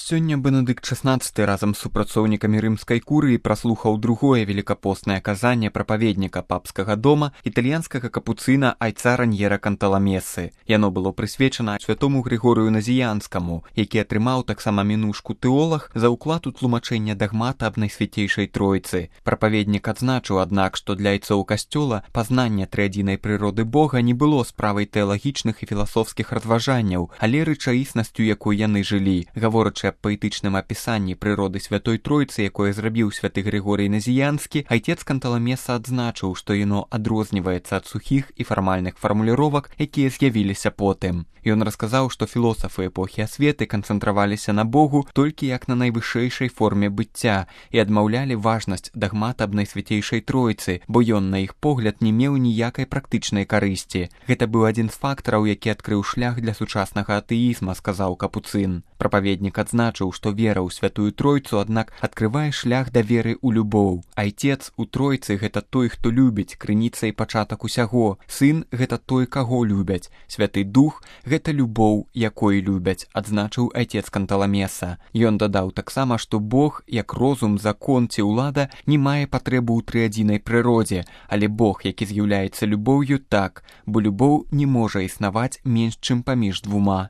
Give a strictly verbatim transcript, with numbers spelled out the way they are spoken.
Сёння Бенедыкт шаснаццаты разам з супрацоўнікамі рымскай курыі праслухаў другое велікапостнае казанне прапаведніка папскага дома італьянскага капуцына айца Раньера Канталамесы. Яно было прысвечана святому Григорыю Назіянскаму, які атрымаў таксама мінушку тэолаг за ўклад у тлумачэнне дагмата аб Найсвяцейшай Тройцы. Прапаведнік адзначыў, аднак, што для айцоў касцёла пазнанне трыадзінай прыроды Бога не было справай тэалагічных і філасофскіх разважанняў, але рэчаіснасцю, якой яны жылі. Гаворачы аб паэтычным апісанні прыроды Святой Тройцы, якое зрабіў святы Григорый Назіянскі, айцец Канталамеса адзначыў, што яно адрозніваецца ад сухіх і фармальных фармуліровак, якія з'явіліся потым. Ён расказаў, што філосафы эпохі асветы канцэнтраваліся на Богу толькі як на найвышэйшай форме быцця і адмаўлялі важнасць дагмата аб Найсвяцейшай Тройцы, бо ён, на іх погляд, не меў ніякай практычнай карысці. Гэта быў адзін з фактараў, які адкрыў шлях для сучаснага атэізма, сказаў капуцын. Прапаведнік адзначыў, што вера ў Святую Тройцу, аднак, адкрывае шлях да веры ў любоў. Айцец у Тройцы — гэта той, хто любіць, крыніца і пачатак усяго. Сын — гэта той, каго любяць. Святы Дух — гэта любоў, якой любяць, адзначыў айцец Канталамеса. Ён дадаў таксама, што Бог, як розум, закон ці ўлада, не мае патрэбу ў трыадзінай прыродзе, але Бог, які з'яўляецца любоўю, так, бо любоў не можа існаваць менш, чым паміж двума.